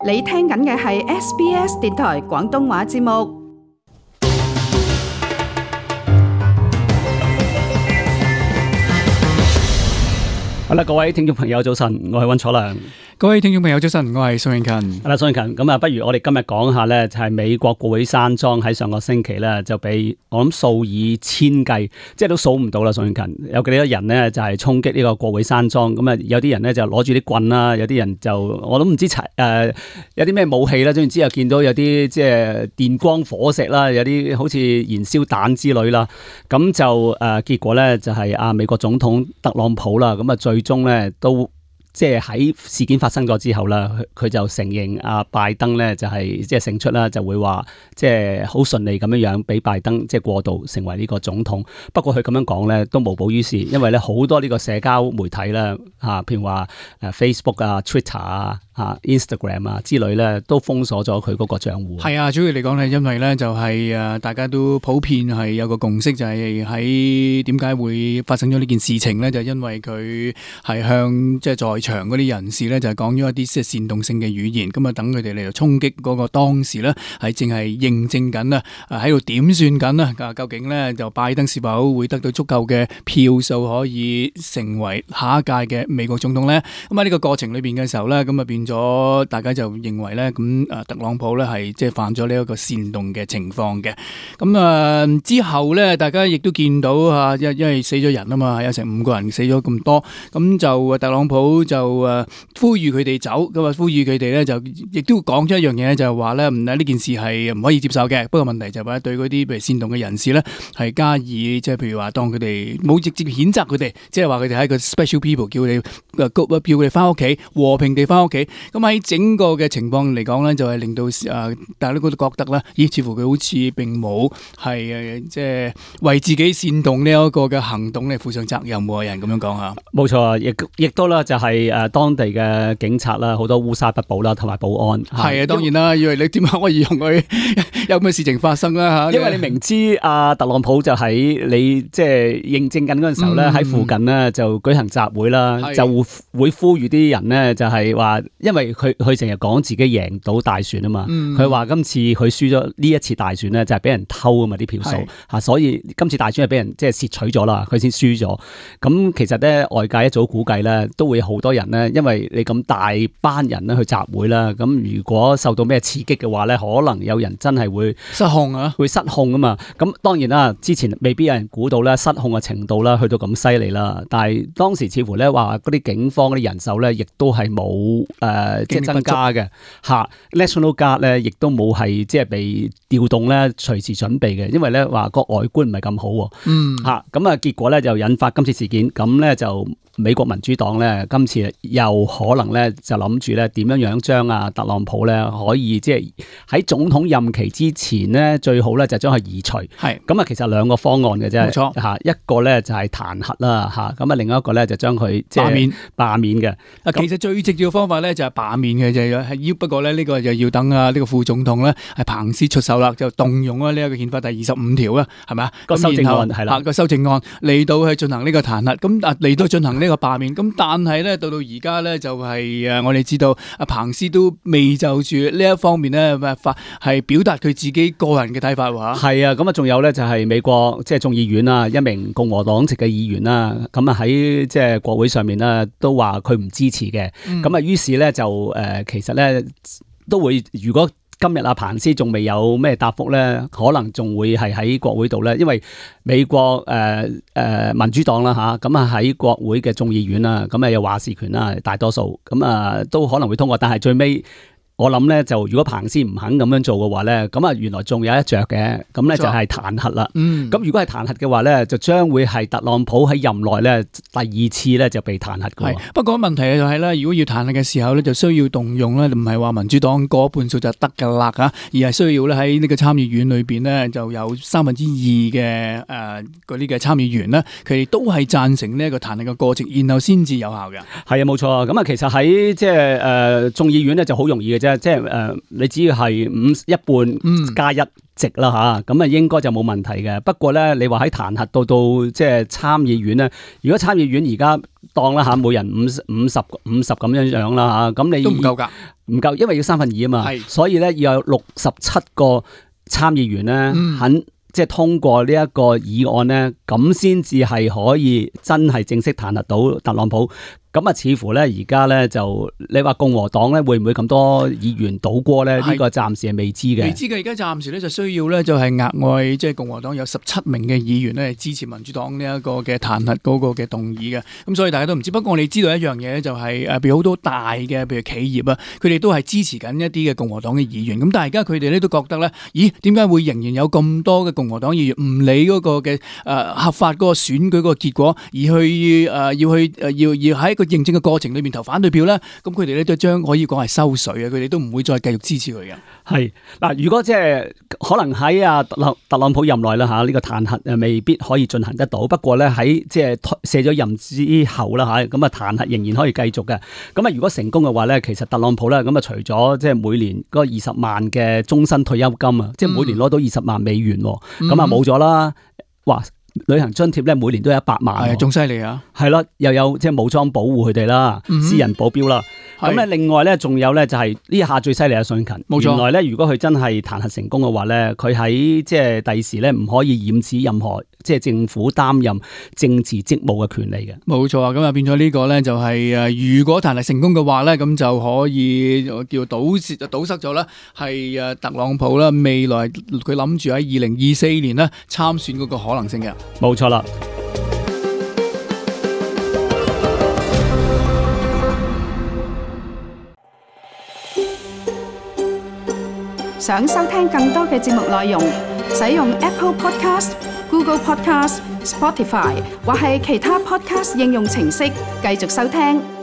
你聽緊嘅係 SBS 電台廣東話節目。好啦，各位聽眾朋友早晨，我係溫楚良。各位聽眾朋友早晨，我係宋永勤。係啦，宋永勤，咁啊，不如我哋今日講下咧，就係美國國會山莊喺上個星期咧，就俾我諗數以千計，即係都數唔到啦。宋永勤有幾多人呢？就係衝擊呢個國會山莊，咁啊，有啲人咧就攞住啲棍啦，有啲人就我都唔知有啲咩武器啦，總之又見到有啲即係電光火石啦，有啲好似燃燒彈之類啦，咁就結果咧就係美國總統特朗普啦，咁啊最終咧都。即係喺事件發生咗之後啦，佢就承認拜登咧就係即係勝出啦，就會話即係好順利咁樣樣俾拜登即係過渡成為呢個總統。不過佢咁樣講咧都無補於事，因為咧好多呢個社交媒體啦譬如話Facebook 啊、Twitter 啊、Instagram 啊之類咧都封鎖咗佢嗰個賬戶。係啊，主要嚟講咧，因為咧就係大家都普遍係有個共識，就係喺點解會發生咗呢件事情咧，就因為佢係向即係在場嗰啲人士咧就係講咗一啲即係煽動性嘅語言，咁啊等佢哋嚟到衝擊嗰個當時咧係淨係認證緊啊，喺度點算緊啊，究竟咧就拜登是否會得到足夠嘅票數可以成為下一屆嘅美國總統咧？咁喺呢個過程裏邊嘅時候咧，咁啊變咗大家就認為咧，咁特朗普咧係即係犯咗呢一個煽動嘅情況嘅。咁之後咧，大家亦都見到因為死咗人啊嘛，有成5個人死咗咁多，咁就特朗普就呼籲佢哋走，咁啊呼籲佢哋咧就亦都講咗一樣嘢，就係話咧呢件事係唔可以接受嘅。不過問題就係話對嗰啲譬如煽動嘅人士咧係加以即係譬如話當佢哋冇直接譴責佢哋，即係話佢哋係一個 special people， 叫佢哋翻屋企和平地翻屋企。咁喺整個嘅情況嚟講咧，就係令到大家都覺得咧，咦，似乎佢好似並冇係即係為自己煽動呢一個嘅行動咧負上責任，冇人咁樣講嚇。冇錯，亦都啦，就係當地嘅警察啦，好多烏紗不保啦，同埋保安。係啊，當然啦，以為你點解可以用佢有咩事情發生啦嚇？因為你明知特朗普就喺你即係認證緊嗰陣時候咧，喺附近呢就舉行集會啦，就會呼籲啲人呢，就係話，因為佢成日講自己贏到大選啊嘛，佢話今次佢輸咗呢一次大選呢，就係俾人偷啊嘛啲票數嚇，所以今次大選係俾人即係竊取咗啦，佢先輸咗。咁其實咧外界一早估計咧都會好多人咧，因為你咁大班人咧去集會啦，咁如果受到咩刺激嘅話咧，可能有人真係會失控啊，會失控啊嘛。咁當然啦，之前未必有人估到咧失控嘅程度啦，去到咁犀利啦。但係當時似乎咧話嗰啲警方嗰啲人手咧，亦都係冇即係增加嘅嚇。National Guard 咧，亦都冇係即係被調動咧，隨時準備嘅，因為咧話個外觀唔係咁好嚇。咁啊結果咧就引發今次事件，咁咧就。美國民主黨咧，今次又可能咧就諗住咧點樣樣將特朗普咧可以即係喺總統任期之前咧，最好咧就將佢移除。係咁啊，其實兩個方案嘅啫，冇錯嚇。一個咧就係彈劾啦嚇，咁啊另一個咧就將佢即係罷免嘅。其實最直接嘅方法咧就係罷免嘅，就係不過咧呢個就要等呢個副總統咧係彭斯出手啦，就動用呢一個憲法第25條啦，係咪啊？個修正案係啦，個修正案嚟到去進行呢個彈劾，咁嚟到進行呢個罷免，咁但係咧到而家咧就係我哋知道彭斯都未就住呢一方面咧係表達佢自己個人嘅睇法喎。係啊，咁啊仲有咧就係美國即係眾議院啦，一名共和黨籍嘅議員啦，咁啊喺即係國會上面咧都話佢唔支持嘅，咁啊於是咧就其實咧都會如果。今日彭斯仲未有咩答覆咧，可能仲會係喺國會度咧，因為美國民主黨啦嚇，咁啊喺國會嘅眾議院啦，咁啊有話事權啦，大多數咁啊都可能會通過，但係最尾。我諗咧就如果彭斯唔肯咁樣做嘅話咧，咁啊原來仲有一着嘅，咁咧就係彈劾啦。咁如果係彈劾嘅話咧，就將會係特朗普喺任內咧第2次咧就被彈劾嘅。不過問題就係咧，如果要彈劾嘅時候咧，就需要動用咧，唔係話民主黨過半數就得噶啦嚇，而係需要咧喺呢個參議院裏邊咧就有2/3嘅嗰啲嘅參議員咧，佢哋都係贊成呢一個彈劾嘅過程，然後先至有效嘅。係啊，冇錯。咁啊，其實喺即係眾議院咧就好容易嘅啫。啫，即係你只要係一半加一席啦嚇，咁啊應該就冇問題嘅。不過咧，你話喺彈劾到即係參議院咧，如果參議院而家當啦嚇，每人50咁樣啦嚇，咁你都唔夠㗎，唔夠，因為要2/3啊嘛，係所以咧要有67個參議員咧肯即係通過呢一個議案咧，咁先至係可以真係正式彈劾到特朗普。咁啊，似乎咧而家咧就你話共和黨咧會唔會咁多議員倒戈咧？呢個暫時係未知嘅。未知嘅，而家暫時咧就需要咧就係額外即係共和黨有17名嘅議員咧支持民主黨呢一個嘅彈劾嗰個嘅動議嘅。咁所以大家都唔知。不過我哋知道一樣嘢就係譬如好多大嘅譬如企業啊，佢哋都係支持緊一啲嘅共和黨嘅議員。咁但係而家佢哋咧都覺得咧，咦？點解會仍然有咁多嘅共和黨議員唔理嗰個嘅合法嗰個選舉嗰個結果，而去要喺一個認證嘅過程裏面投反對票咧？咁佢哋咧都將可以講係收水啊！佢哋都唔會再繼續支持佢嘅。係嗱，如果即係可能喺特朗普任內啦嚇，呢個彈劾未必可以進行得到。不過咧喺即係卸咗任之後啦嚇，咁啊彈劾仍然可以繼續嘅。咁啊如果成功嘅話咧，其實特朗普咧咁啊除咗即係每年嗰20萬嘅終身退休金啊，即係每年攞到20萬美元，咁啊冇咗啦。哇！旅行津貼咧每年都有100萬，係仲犀利啊！係咯，又有即係武裝保護佢哋啦，私人保鏢啦。咁咧另外咧仲有咧就係呢下最犀利嘅信勤，冇錯。原來咧如果佢真係彈劾成功嘅話咧，佢喺即係第時咧唔可以染指任何即係政府擔任政治職務嘅權利嘅。冇錯啊！咁啊變咗呢個咧就係如果彈劾成功嘅話咧，咁就可以叫堵塞咗啦，係特朗普啦未來佢諗住喺2024年咧參選嗰個可能性嘅。冇錯啦。想收聽更多嘅節目內容，使用 Apple Podcast、Google Podcast、Spotify 或係其他 Podcast 應用程式繼續收聽。